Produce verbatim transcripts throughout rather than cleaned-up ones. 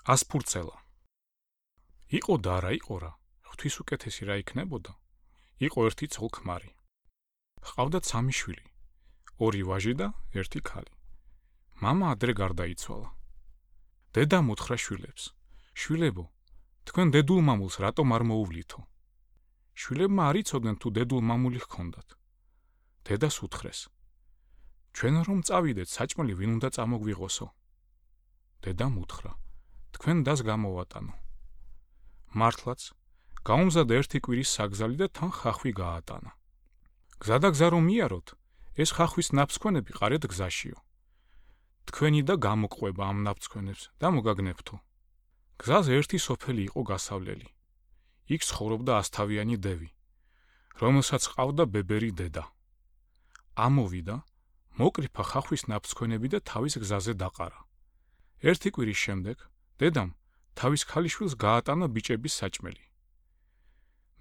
ასფურცელა. იყო და არა იყო რა, ღვთის უკეთესი რა იქნებოდა. იყო ერთი ცოლ-ქმარი. ჰყავდათ სამი შვილი, ორი ვაჟი და ერთი ქალი. მამა ადრე გარდაიცვალა. დედამ უთხრა შვილებს: შვილებო, თქვენ დედულ მამულს რატომ არ მოუვლითო? შვილებმა არ იცოდნენ თუ დედულ მამული ჰქონდათ. დედას უთხრეს: ჩვენ რომ წავიდეთ, საჭმელი ვინ უნდა წამოგვიღოსო? დედამ უთხრა: თქვენ დას გამოვატანო. მართლაც, გაუმზადა ერთი კვირის საგზალი და თან ხახვი გაატანა. გზადაგზა რომ მიაროთ, ეს ხახვის ნაფსქვენები ყარეთ გზაშიო. თქვენი და გამოყვება ამ ნაფსქვენებს და მოგაგნებთო. გზაზე ერთი სოფელი იყო გასავლელი. იქ ცხოვრობდა ასთავიანი დევი, რომელსაც ჰყავდა ბებერი დედა. ამოვიდა, მოკრიფა ხახვის ნაფსქვენები და თავის გზაზე დაყარა. ერთი კვირის შემდეგ დედამ თავის ქალიშვილს გაატანა ბიჭების საჭმელი.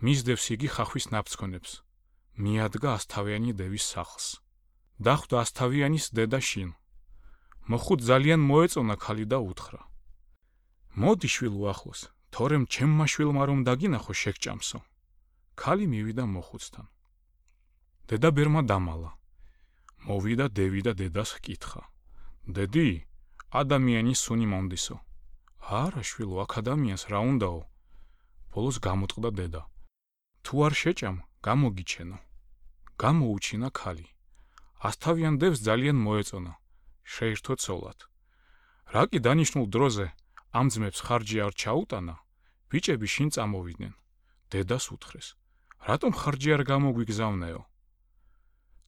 მისდევს იგი ხახვის ნაფსქვენებს, მიადგა ასთავიანი დევის სახლს. დახვდა ასთავიანის დედა შინ. მოხუთ ძალიან მოეწონა ქალი და უთხრა: მოდი შვილო ახლოს, თორემ ჩემმა შვილმა რომ დაგინახო შეგჭამსო. ქალი მივიდა მოხუცთან. დედა ბერმა დამალა. მოვიდა დევი და დედას ჰკითხა: დედი, ადამიანის სუნი მომდისო. არა შვილო, აქ ადამიანს რა უნდაო? ბოლოს გამოწყდა დედა: თუ არ შეჭამ, გამოგიჩენო. გამოუჩინა ქალი. ასთავიან დევს ძალიან მოეწონა. შეირთო ცოლად. რა კი დანიშნულ დროზე ამ ძმებს ხარჯი არ ჩაუტანა, ბიჭები შინ წამოვიდნენ. დედას უთხრეს: რატომ ხარჯი არ გამოგვიგზავნეო?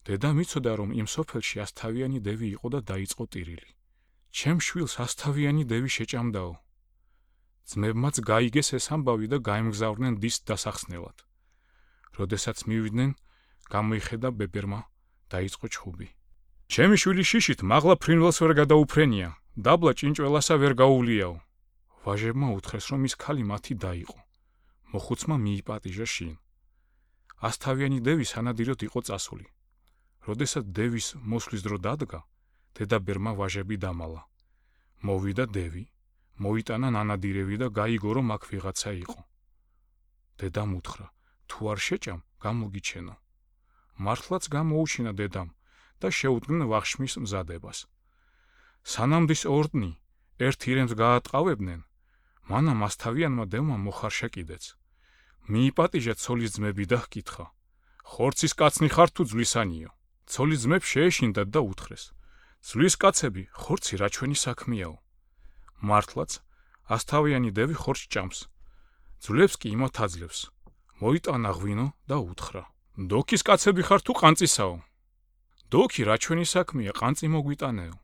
დედამ იცოდა რომ იმ სოფელში ასთავიანი დევი იყო და დაიწყო ტირილი. ჩემ შვილს ასთავიანი დევი შეჭამდაო. ძმებმაც გაიგეს ეს ამბავი და გაემგზავრნენ დის დასახსნელად. როდესაც მივიდნენ, გამოიხედა ბებერმა, დაიწყო ჩხუბი. ჩემი შვილი შიშით მაღლა ფრინველს ვერ გადაუფრენია, დაბლა ჭინჭველასა ვერ გაუვლიაო. ვაჟებმა უთხრეს რომ ის ქალი მათი დაიყო. მოხუცმა მიიპატიჟა შინ. ასთავიანი დევი სანადიროდ იყო წასული. როდესაც დევის მოსვლის დრო დადგა, დედა ბერმა ვაჟები დამალა. მოვიდა დევი, მოიტანა ნანადირევი და გაიგო რომ აქ ვიღაცა იყო. დედამ უთხრა: თუ არ შეჭამ, გამოგიჩენო. მართლაც გამოუჩინა დედამ და შეუდგნენ ვახშმის მზადებას. სანამ დის ორდნი ერთ ირემს გაატყავებდნენ, მანამ ასთავიანმა დევმა მოხარშა კიდეც. მიიპატიჟა ცოლის ძმები და ჰკითხა: ხორცის კაცნი ხარ თუ ძვლისანიო? ცოლის ძმებს შეეშინდათ და უთხრეს: ძვლის კაცები, ხორცი რა ჩვენი საქმეაო? მართლაც, ასთავიანი დევი ხორცს ჭამს, ძვლებს კი იმათ აძლევს. მოიტანა ღვინო და უთხრა: დოქის კაცები ხარ თუ ყანწისაო? დოქი რა ჩვენი საქმეა, ყანწი მოგვიტანეო.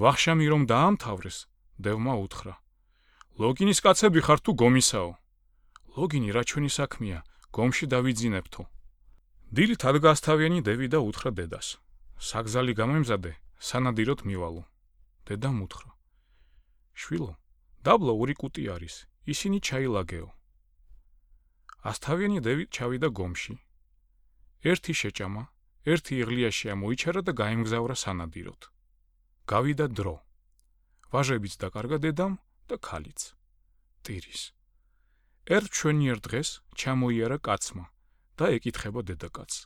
ვახშამი რომ დაამთავრეს, დევმა უთხრა: ლოგინის კაცები ხარ თუ გომისაო? ლოგინი რა ჩვენი საქმეა, გომში დავიძინებთო. დილით ადგა ასთავიანი დევი და უთხრა დედას: საგზალი გამემზადე, სანადიროდ მივალო. დედამ უთხრა: შვილო, დაბლა ორი კუტი არის, ისინი ჩაილაგეო. ასთავიანი დევი ჩავიდა გომში. ერთი შეჭამა, ერთი იღლიაში ამოიჩარა და გაემგზავრა სანადიროდ. გავიდა დრო. ვაჟებიც დაკარგა დედამ და ქალიც. ტირის. ერთ ჩვენიერ დღეს ჩამოიარა კაცმა და ეკითხება დედაკაცს: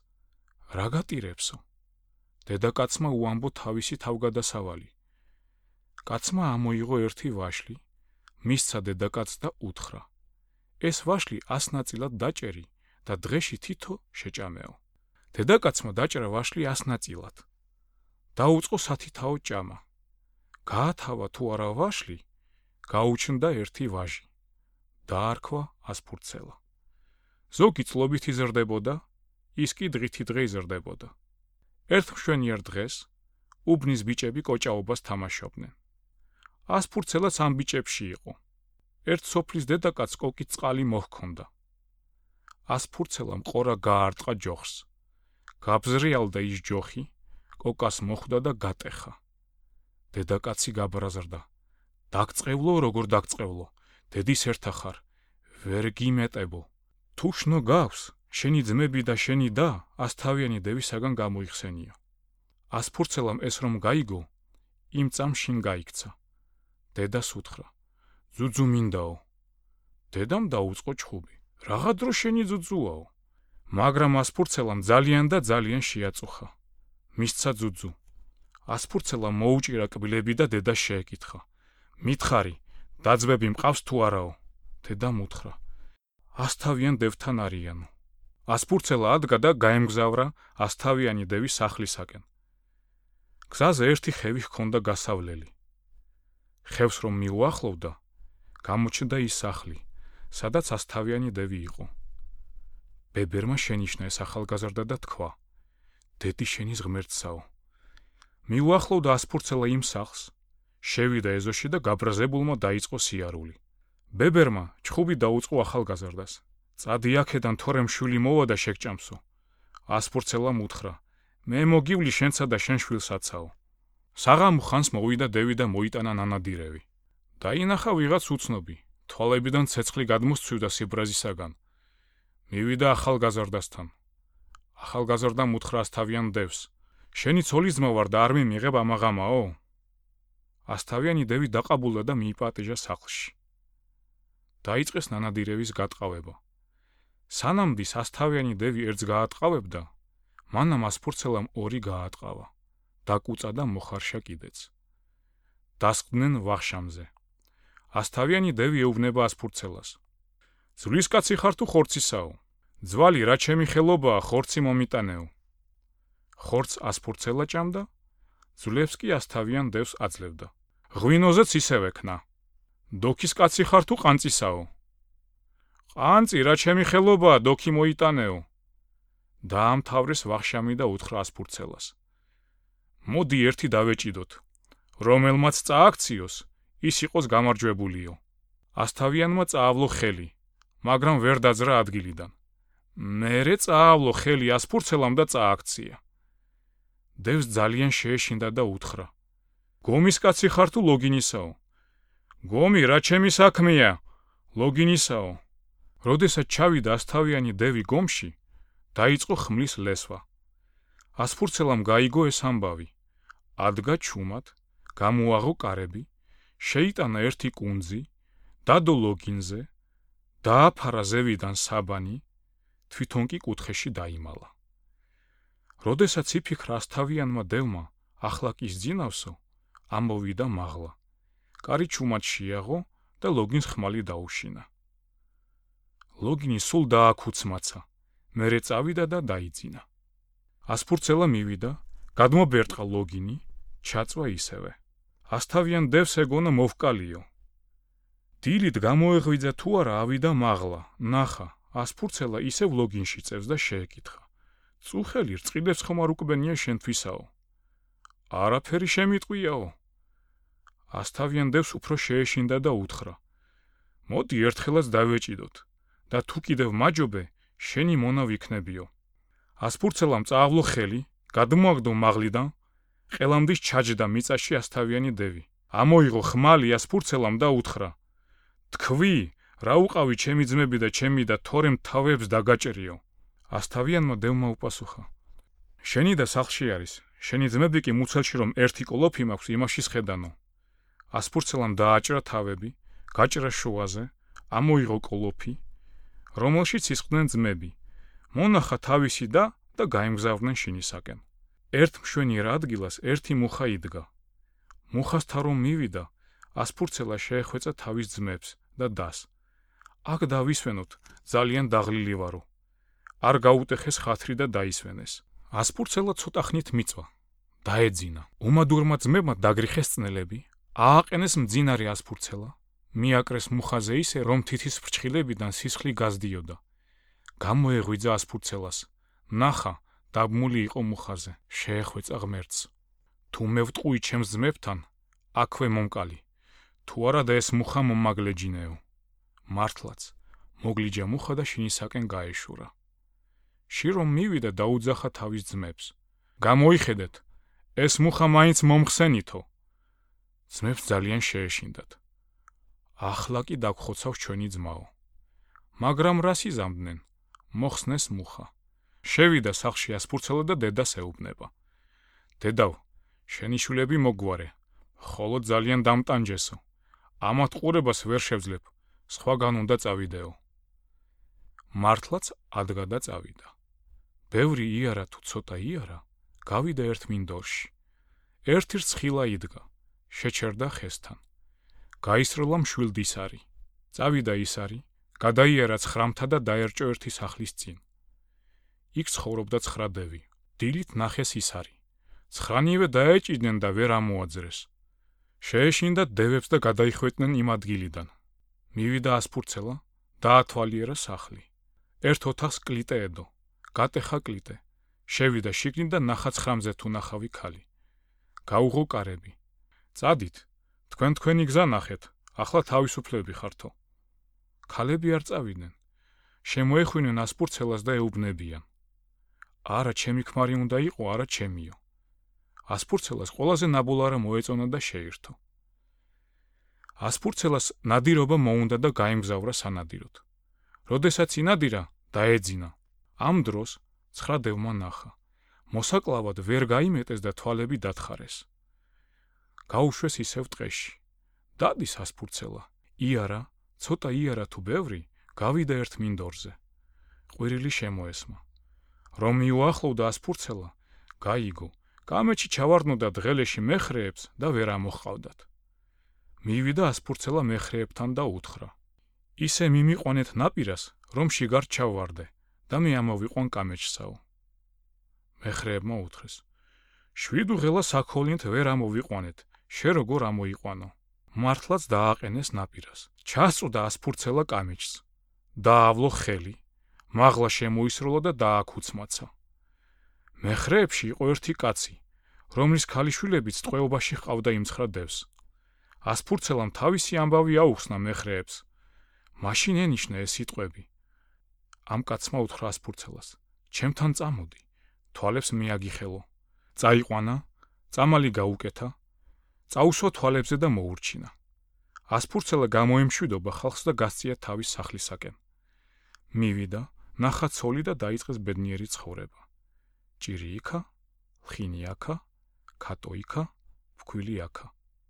რა გატირებსო? დედაკაცმა უამბო თავისი თავგადასავალი. კაცმა ამოიღო ერთი ვაშლი, მისცა დედაკაცს და უთხრა: ეს ვაშლი ას ნაწილად დაჭერი და დღეში თითო შეჭამეო. დედაკაცმა დაჭრა ვაშლი ას ნაწილად. დაუწყო სათითაო ჭამა. გაათავა თუ არა ვაშლი, გაუჩნდა ერთი ვაჟი. დაარქვა ასფურცელა. ზოგი წლობით იზრდებოდა, ის კი დღითი დღე იზრდებოდა. ერთ მშვენიერ დღეს უბნის ბიჭები კოჭაობას თამაშობდნენ. ასფურცელაც ამ ბიჭებში იყო. ერთ სოფლის დედაკაცს კოკით წყალი მოჰქონდა. ასფურცელამ ყორა გაარტყა ჯოხს. გაბზრიალდა ის ჯოხი, კოკას მოხვდა და გატეხა. დედაკაცი გაბრაზრდა: დაგწყევლო, როგორ დაგწყევლო, დედის ერთა ხარ, ვერ გიმეტებო. თუ შნო გავს, შენი ძმები და შენი და ასთავიანი დევისაგან გამოიხსენიო. ასფურცელამ ეს რომ გაიგო, იმ წამს შინ გაიქცა. დედას უთხრა: ძუძუ მინდაო. დედამ დაუწყო ჩხუბი. Რაღა დრო შენი ძუძუაო. მაგრამ ასფურცელამ ძალიან და ძალიან შეაწუხა. მისცა ძუძუ. ასფურცელამ მოუჭირა კბილები და დედას შეეკითხა. მითხარი, დაძმები მყავს თუ არაო? დედამ უთხრა. ასთავიან დევთან არიანო. ასფურცელა ადგა და გაემგზავრა ასთავიანი დევის სახლისაკენ. გზაზე ერთი ხევი ჰქონდა გასავლელი. ხევს რომ მიუახლოვდა, გამოჩნდა ის სახლი, სადაც ასთავიანი დევი იყო. ბებერმა შენიშნა ეს ახალგაზრდა და თქვა: დედი შენის ღმერთსაო. მიუახლოვდა ასფურცელა იმ სახლს, შევიდა ეზოში და გაბრაზებულმა დაიწყო სიარული. ბებერმა ჩხუბი დაუწყო ახალგაზრდას. წადი აქედან, თორემ შვილი მოვა და შეგჭამსო. ასფურცელამ უთხრა: მე მოგივლი შენსა და შენ შვილსაცაო. საღამო ხანს მოვიდა დევი და მოიტანა ნანადირევი. დაინახა ვიღაც უცნობი, თვალებიდან ცეცხლი გადმოსცვივდა სიბრაზისაგან. მივიდა ახალგაზრდასთან. ახალგაზრდამ უთხრა ასთავიან დევს: შენი ცოლისძმა ვარ და არ მიმიღებ ამაღამაო? ასთავიანი დევი დაყაბულა და მიიპატიჟა სახლში. დაიწყეს ნანადირევის გატყავება. სანამდის ასთავიანი დევი ერთს გაატყავებდა, მანამ ასფურცელამ ორი გაატყავა. დაკუწა და მოხარშა კიდეც. დასყდნენ ვახშამზე. ასთავიანი დევი ეუბნება ასფურცელას: ძვლისკაცი ხარ თუ ხორცისაო? ძვალი რა ჩემი ხელობაა, ხორცი მომიტანეო. ხორცს ასფურცელა ჭამდა, ძვლებს კი ასთავიან დევს აძლევდა. ღვინოზეც ისევე ქნა. დოქის კაცი ხარ თუ ყანწისაო? ყანწი რა ჩემი ხელობაა, დოქი მოიტანეო. დაამთავრეს ვახშამი და უთხრა ასფურცელას: მოდი ერთი დავეჭიდოთ. რომელმაც წააქციოს, ის იყოს გამარჯვებულიო. ასთავიანმა წაავლო ხელი, მაგრამ ვერ დაძრა ადგილიდან. მერე წაავლო ხელი ასფურცელამ და წააქცია. დევს ძალიან შეეშინდა და უთხრა: გომის კაცი ხარ თუ ლოგინისაო? გომი რა ჩემი საქმეა, ლოგინისაო. როდესაც ჩავიდა ასთავიანი დევი გომში, დაიწყო ხმლის ლესვა. ასფურცელამ გაიგო ეს ამბავი. ადგა ჩუმად, გამოაღო კარები, შეიტანა ერთი კუნძი, დადო ლოგინზე, დააფარა ზევიდან საბანი, თვითონ კი კუთხეში დაიმალა. როდესაც იფიქრა ასთავიანმა დევმა, ახლა კი სძინავსო, ამოვიდა მაღლა. კარი ჩუმად შეაღო და ლოგინს ხმალი დაუშინა. ლოგინი სულ დააქუცმაცა, მერე წავიდა და დაიძინა. ასფურცელა მივიდა, გადმობერტყა ლოგინი, ჩაწვა ისევე. ასთავიან დევს ეგონა მოვკალიო. დილით გამოეღვიძა თუ არა, ავიდა მაღლა, ნახა, ასფურცელა ისევ ლოგინში წევს და შეეკითხა: წუხელი რწყილებს ხომ არ უკბენია შენთვისაო? არაფერი შემიტყვიაო. ასთავიან დევს უფრო შეეშინდა და უთხრა: მოდი ერთხელაც დავეჭიდოთ და თუ კიდევ მაჯობე, შენი მონა ვიქნებიო. ასფურცელამ წაავლო ხელი, გადმოაგდო მაღლიდან, ყელამდის ჩაჯდა მიწაში ასთავიანი დევი. ამოიღო ხმალი ასფურცელამ და უთხრა: თქვი, რა უყავი ჩემი ძმები და ჩემი და თორემ თავებს დაგაჭერიო. ასთავიანმა დევმა უპასუხა: შენი და სახლში არის, შენი ძმები კი მუცელში რომ ერთი კოლოფი მაქვს, იმაში სხედანო. ასფურცელამ დააჭრა თავები, გაჭრა შუაზე, ამოიღო კოლოფი, რომელშიც ისხდნენ ძმები. მონახა თავისი და და გაემგზავრნენ შინისაკენ. ერთ მშვენიერ ადგილას ერთი მუხა იდგა. მუხასთან რომ მივიდა, ასფურცელა შეეხვეწა თავის ძმებს და დას. აქ დავისვენოთ, ძალიან დაღლილი ვარო. არ გაუტეხეს ხათრი და დაისვენეს. ასფურცელა ცოტა ხნით მიწვა. დაეძინა. უმადურმა ძმებმა დაგრიხეს წნელები, ააყენეს მძინარი ასფურცელა, მიაკრეს მუხაზე ისე, რომ თითის ფრჩხილებიდან სისხლი გაზდიოდა. გამოეღვიძა ასფურცელას. ნახა, დაბმული იყო მუხაზე, შეეხვეწა ღმერთს. თუ მე ვტყვი ჩემს ძმებთან, აქვე მომკალი. თუ არა და ეს მუხა მომაგლეჯინეო. მართლაც, მოგლიჯა მუხა და შინისაკენ გაეშურა. ში რომ მივიდა დაუძახა თავის ძმებს. გამოიხედეთ, ეს მუხა მაინც მომხსენითო. ძმებს ძალიან შეეშინდათ. ახლა კი დაგხოცავს ჩვენი ძმაო. მაგრამ რას იზამდნენ? მოხსნეს მუხა. შევიდა სახლში ასფურცელა და დედას ეუბნება. დედავ, შენი შვილები მოგვარე, ხოლო ძალიან დამტანჯესო. ამათ ყურებას ვერ შევძლებ, სხვაგან უნდა წავიდეო. მართლაც ადგა და წავიდა. ბევრი იარა თუ ცოტა იარა, გავიდა ერთ მინდორში. ერთი რცხილა იდგა, შეჩერდა ხესთან. გაისროლა მშვილდისარი. წავიდა ისარი, გადაიარა ცხრამთა და დაერჭო ერთი სახლის წინ. იქ ცხოვრობდა ცხრა დევი. დილით ნახეს ისარი. ცხრანივე დაეჭიდნენ და ვერ ამოაძრეს. შეეშინდა დევებს და გადაიხვეწდნენ იმ ადგილიდან. მივიდა ასფურცელა, დაათვალიერა სახლი. ერთ ოთახს კლიტე ედო, გატეხა კლიტე. შევიდა შიგნით და ნახა ცხრამზე თუ ნახავი ქალი. გაუღო კარები. წადით, თქვენ თქვენი გზა ნახეთ, ახლა თავისუფლები ხართო. ქალები არ წავიდნენ. შემოეხვინენ ასფურცელას და ეუბნებიან. არა, ჩემი ქმარი უნდა იყო, არა ჩემიო. ასფურცელას ყველაზე ნაბოლარა მოეწონა და შეირთო. ასფურცელას ნადირობა მოუნდა და გაემგზავრა სანადიროდ. როდესაც ინადირა, დაეძინა. ამ დროს ცხრა დევმა ნახა. მოსაკლავად ვერ გაიმეტეს და თვალები დათხარეს. გაუშვეს ისევ ტყეში. დადის ასფურცელა. იარა, ცოტა იარა თუ ბევრი, გავიდა ერთ მინდორზე. ყვირილი შემოესმა. რომ მიუახლოვდა ასფურცელა, გაიგო. კამეჩი ჩავარდნოდა დღელეში მეხრეებს და ვერ ამოჰყავდათ. მივიდა ასფურცელა მეხრეებთან და უთხრა. ისე მიმიყვანეთ ნაპირას, რომ შიგარ ჩავვარდე და მე ამოვიყვან კამეჩსაო. მეხრეებმა უთხრეს. შვიდუ ღელა საქოლინთ ვერ ამოვიყვანეთ, შე როგორ ამოიყვანო. მართლაც დააყენეს ნაპირას. ჩასწვდა ასფურცელა კამეჩს. დაავლო ხელი. მაღლა შემოისროლა და დააქუცმაცა. მეხრეებში იყო ერთი კაცი, რომლის ქალიშვილებიც ტყვეობაში ჰყავდა იმ ცხრა დევს. ასფურცელამ თავისი ამბავი აუხსნა მეხრეებს. მაშინ ენიშნა ეს სიტყვები. ამ კაცმა უთხრა ასფურცელას, ჩემთან წამოდი, თვალებს მე აგიხელო. წაიყვანა, წამალი გაუკეთა, წაუსვა თვალებზე და მოურჩინა. ასფურცელა გამოემშვიდობა ხალხს და გასწია თავის სახლისაკენ. მივიდა, ნახა ცოლი და დაიწყეს ბედნიერი ცხოვრება. ჭირი იქა, ლხინი აქა, ქატო იქა, ფქვილი აქა.